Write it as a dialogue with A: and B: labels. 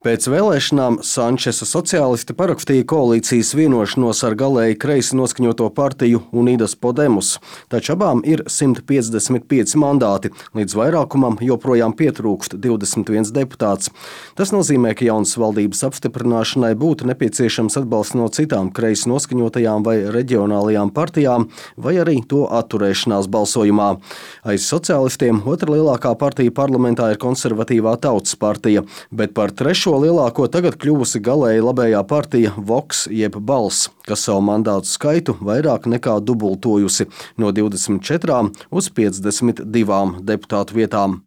A: Pēc vēlēšanām Sančesa sociālisti parakstīja koalīcijas vienošanos ar galēji kreisi noskaņoto partiju Unidas Podemos, taču abām ir 155 mandāti, līdz vairākumam joprojām pietrūkst 21 deputāts. Tas nozīmē, ka jaunas valdības apstiprināšanai būtu nepieciešams atbalsts no citām kreisi noskaņotajām vai reģionālajām partijām, vai arī to atturēšanās balsojumā. Aiz sociālistiem otra lielākā partija parlamentā ir konservatīvā Tautas partija, bet par trešo lielāko tagad kļuvusi galēji labējā partija Vox jeb Balss, kas savu mandātu skaitu vairāk nekā dubultojusi no 24 uz 52 deputātu vietām.